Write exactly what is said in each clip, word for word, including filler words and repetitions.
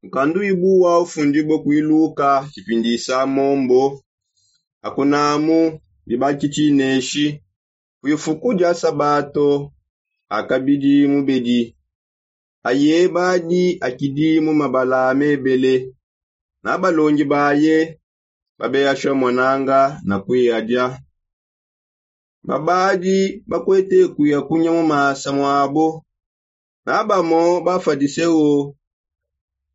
Nkandu ibuwa ufundibue kuiluka kipindisa mombo. Akunamu dibaki tshineshi kuifuku dia sabato akabidi mubedi. Aye badi akidi mu mabala mebele na balongi baye babeyasha mwananga na kuiyadia. Babadi bakwete kuya kunya mu masa mwabo na bamo bafadiseo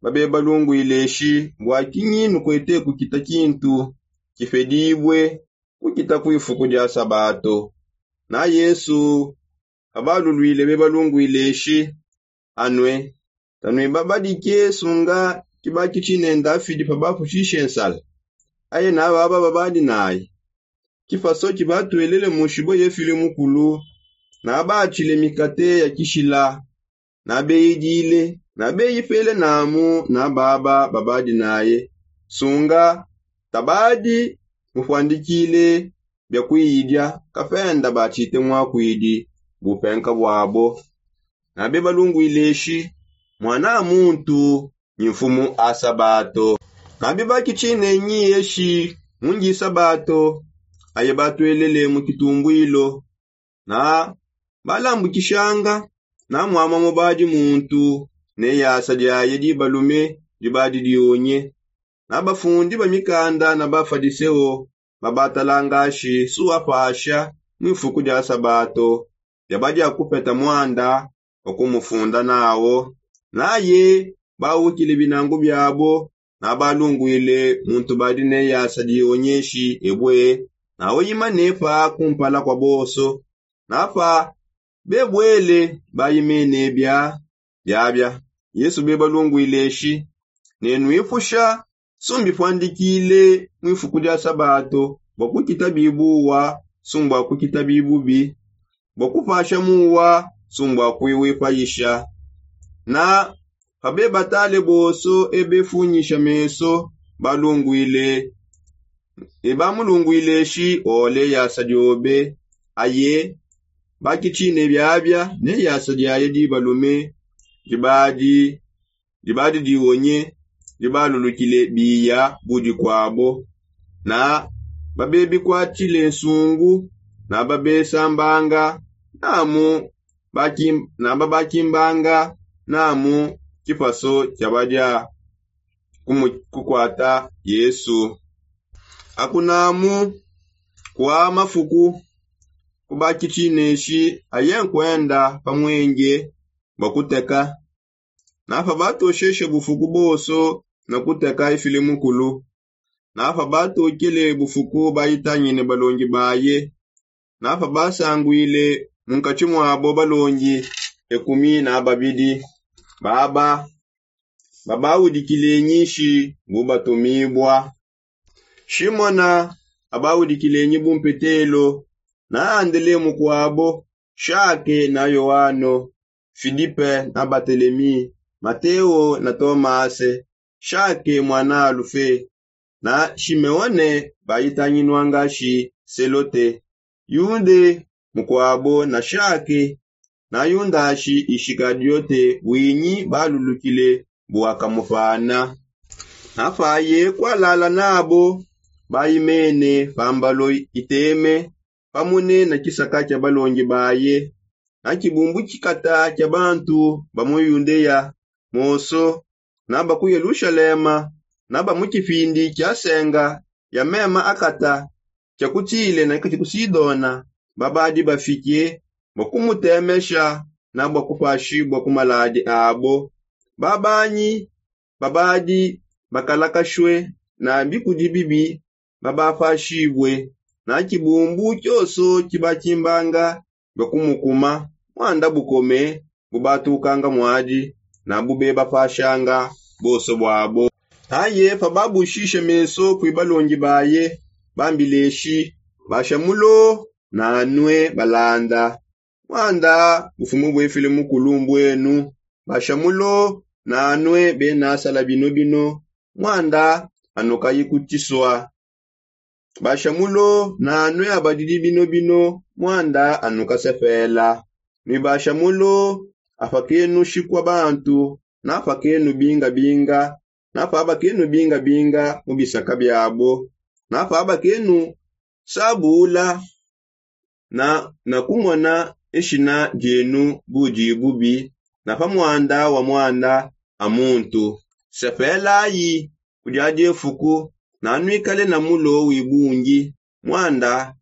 babe balungwile shi bua kinyi nukwete kukita kintu kifedibue kukita kuifuku dia sabato. Na yesu abalulwile be balungwile shi anue tanue babadike sunga kibaki tshine ndafidi pabafushishe nsala. Aye na baba babadi naye kipaso kibatuelele mushibue yefile mukulu na batshile mikate ya kishila na beyidile na beyipele namu na baba babadi naye sunga tabadi mufuandikile bia kuiyidia kapenda batshite mwakuidi bupenka buabo. Na be balungwile shi mwana a muntu ni mfumu a sabato. Na bibaki tshinenyi eshi mungi sabato aye batuelele mu kitumbwilo na balambukishanga na mwamamo badi muntu ne yasa diaye dibalume dibadi dionye. Na bafundi ba mikanda na bafadiseo babatalanga shi suwapasha mu ifuku dia sabato dia badia kupeta mwanda wa kumufunda nawo. Naye bawukile binangu biabo na balungwile muntu badi ne yasa dionyeshi ebue na uyima nepa kumpala kua bonso. Na pa bebwele bayimene bia biabia yesu be balungwile shi ne nuipusha sumbipuandikile mu ifuku dia sabato bua kukita bibuwa sumbua kukita bibubi bua kupasha muwa sumbua kuiwipayisha. Na pabe batale bonso ebefunyisha meso balungwile ebamulungwile shi ole yasa diobe aye bakitshine biabia ne yasa diaye dibalume dibadi dibadi dionye dibalulukile biya budi kuabo. Na babebikuatshile nsungu na babesambanga namu bakim- na babakimbanga namu kipaso kia badia kumu- kukuata yesu. Akunamu kua mafuku kubakitshineshi aye nkuenda pa muenge bua kuteka. Na pa batosheshe bufuku bonso na kuteka ifile mukulu na pa batokele bufuku bayitangine balongi baye na pa basanguile munkatshi muabo balongi ekumi na babidi baba babaudikilenyi shi bubatumibua. Shimona abaudikilenyi bumpetelo na andele mukuabo shake na yoano filipe na batelemi mateo na tomase shake muana alufe na shimeone bayitanginuangashi selote yude mukuabo na shake na yudashi ishikadiote winyi balulukile buakamupana. Napaye kualala nabo bayimene pa mbalo iteme pamune na kisaka kia balongi baye na kibumbu kikata kia bantu ba mu yudeya monso na ba ku yelushalema na ba mu kipindi kia senga ya mema akata kia kutile na kia ku sidona babadi bafike bua kumutemesha na bua kupashibua ku maladi abo babanyi babadi bakalakashue na bikudi bibi babapashibue na kibumbu kionso kibakimbanga bua kumukuma muanda bukome bubatukanga muadi na bubebapashanga bonso buabo. Aye pababushishe meso kui balongi baye bambileshi basha mulo nanue balanda muanda bufumu buefile mukulu mbuenu basha mulo nanue benasala binobino muanda anu kayi kutisua basha mulo nanue abadidi binobino muanda anu kasepela nui basha mulo apakenushikua bantu Napakenu binga binga napabakenu binga binga mu bisaka biabo. Napabakenu sabula na na kumona eshina dienu budi bubi na pa mwanda wa mwanda a muntu. Sepelayi ku dia diefuku na nwikale na mulo wi bungi. Mwanda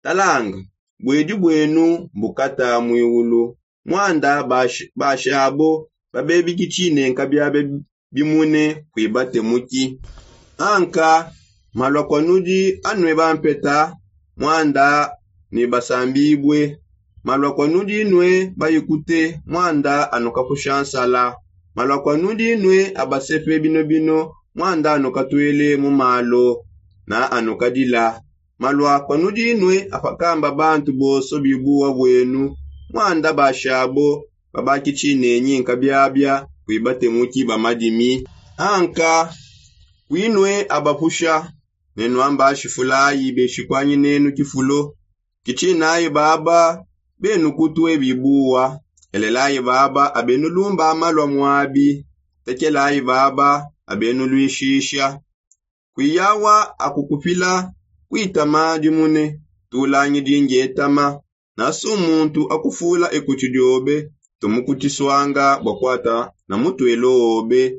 talanga buedi buenu mbukata mwiulu. Mwanda bashabo babebi kicine nkabiabe bimune kuibate muki. Anka malua kua nudi anue bampeta mwanda ne basambibue. Malua kua nudi nue bayikute mwanda anu kapusha nsala. Malua kua nudi nue abasepe binobino mwanda anu katuele mu malo na anu kadila. Malua kua nudi nue apakamba bantu bonso bibuwa buenu mwanda bashabo babakicine nyinka biabia kuibate muki ba madimi. Anka kuinue abapusha ne nuambashifulayi beshikuanyi nenu kifulo. Kicinayi baba benu kutue bibuwa. Elelayi baba abenu lumba amalua muabi. Tekelayi baba abenu luishisha. Kuiyawa akukupila kuitama dimune tulangi dingi etama. Nasu muntu akufula ekuti diobe tumukutiswanga bua kuata na mutuelo obe.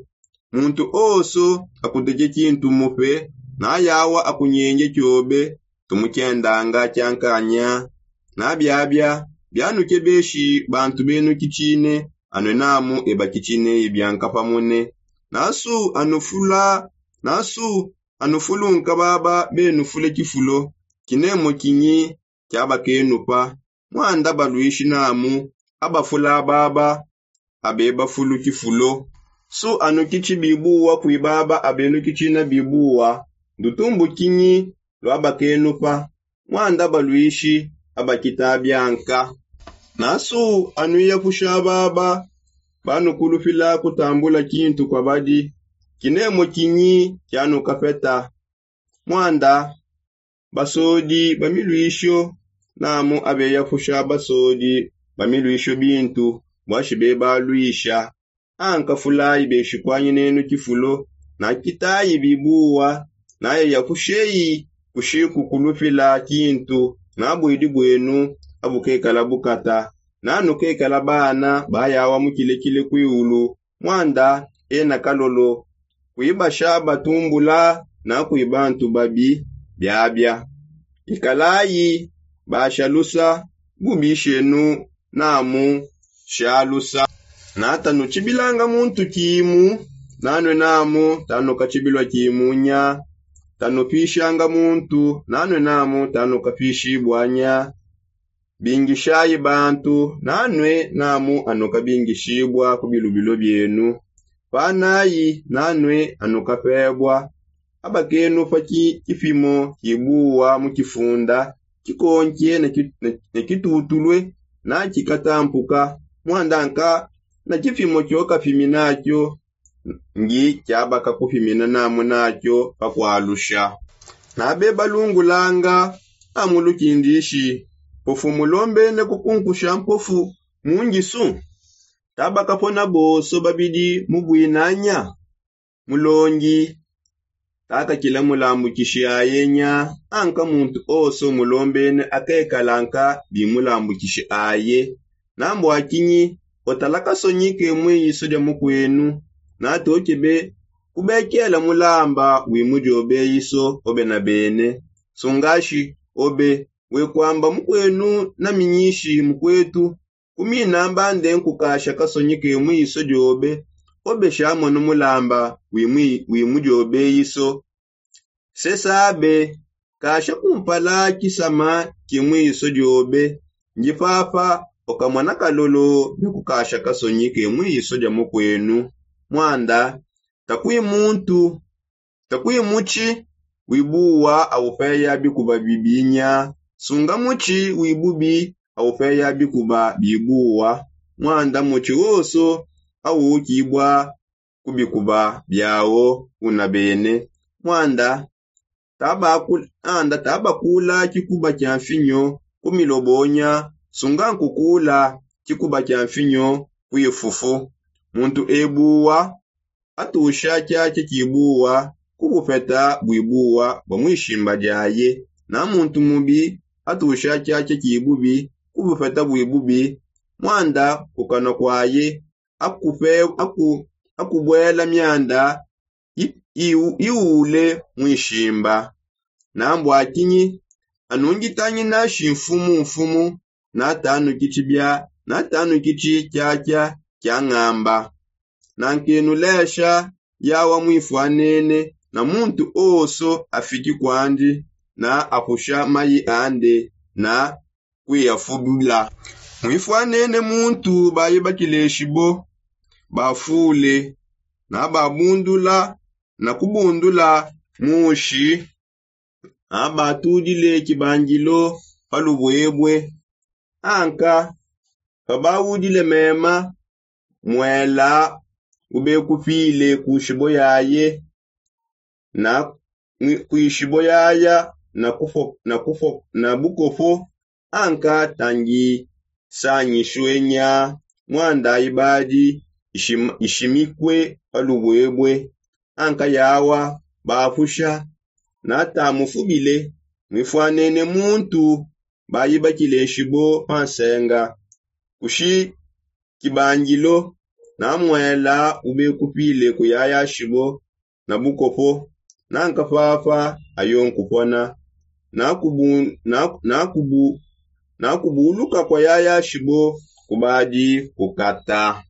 Muntu onso akuteke kintu mupe na yawa akunyenge kiobe tumukendanga kiankanya. Na biabia bianuke beshi bantu benu kicine anue namu eba kicine ibianka pamune. Nasu anufula nasu anufulunka baba benufule kifulo. Kinemo kinyi kiabakenupa mwanda baluishi namu abafula baba abebafulu kifulo. Su anu kici bibuwa kui baba abenu kicina bibuwa ndutumbu kinyi luabakenupa mwanda baluishi abakita bianka. Nasu anuiyapusha baba banukulupila kutambula kintu kua badi. Kinemo kinyi kianukapeta mwanda basodi ba miluisho namu abeyapusha basodi ba miluisho bintu buashi bebaluisha. Ankafulayi beshikuanyi nenu kifulo na kitayi bibuwa na yeyapusheyi kushiku kulupila kintu na buidi buenu abukekala bukata na nukekala bana bayawa mukilekile kuiulu. Mwanda ena kalolo kuibasha batumbula na kui bantu babi biabia. Ikalayi bashalusa bubishenu namu shalusa. Natanutshibilanga muntu kimu nanue namu tanukatshibilua kimu nya. Tanupishanga muntu nanue namu tanukapishibua nya. Bingishayi bantu nanue namu anukabingishibua ku bilubilo bienu. Panayi nanue anukapebua. Abakenu pa kipimo kibuwa mu kifunda kikonke ne kitutulue na kikatampuka. Muandanka na kipimo kiokapimina kio ndi kiabaka kupimina namu nakio pa kualusha. Nabe balungulanga amu lukindishi mpofu mulombene kukunkusha mpofu mu ngisu. Tabakapona bonso babidi mu buinanya. Mulongi takakila mulambukishi aye nya. Anka muntu onso mulombene akekala nka bimulambukishi aye. Nambua kinyi otala kasonyi ke muiyiso dia mukuenu natu okebe kubekela mulamba wi mudiobeyiso obe na bene. Sungashi obe wekuamba mukuenu naminyishi mukuetu kuminamba nde nkukasha kasonyi ke muiyiso diobe obesha mono mulamba wi mudiobeyiso. Sesabe kasha kumpala kisama ki muiso diobe. Ndi papa okamona kalolo bia kukasha kasonyi ke muiso dia mukuenu. Muanda takui muntu takui mutshi wibuwa awupeya bikuba bibinya. Sunga mutshi wibubi awupeya bikuba bibuwa. Muanda mutshi wonso awukibua ku bikuba biawo una bene. Muanda tabakula kikuba kia mfinyo ku milobonya sunga nkukula kikuba kia mfinyo ku ifufu. Muntu ebuwa atusha kyakya kibuwa kubupeta bwibuwa bwa mwishimba dyaye, na muntu mubi atusha kyakya kibubi kubupeta bwibubi. Mwanda kukana kwaye akubwela myanda iwule mwishimba. Nambwakinyi anungitangina shimfumu mfumu na tanu kiti bya na tanu kiti kyakya kya ngamba. Na nkenu lesha yawa mwifwanene na muntu oso afiki kwandi na apusha mayi ande na kwiyafubula. Mwifwanene muntu bayi bakileshi bo bafule na babundula na kubundula mushi na batudile kibangilo pa lubwebwe. Anka pabawudile mema mwela ubekupile ku shibo yaye na kwishibo yaya na kufo na kufo na bukopo. Anka tangi sanyishwenya mwanda ibadi ishimikwe pa lubwebwe. Anka yawa bapusha na tamufubile mwifwanene muntu bayi bakileshi bo pa nsenga kushi kibangilo na mwela ubekupile ku yaya shibo na bukopo. Nanka papa ayo nkupona na kubu na kubu na kubuluka kwa yaya shibo kubadi kukata.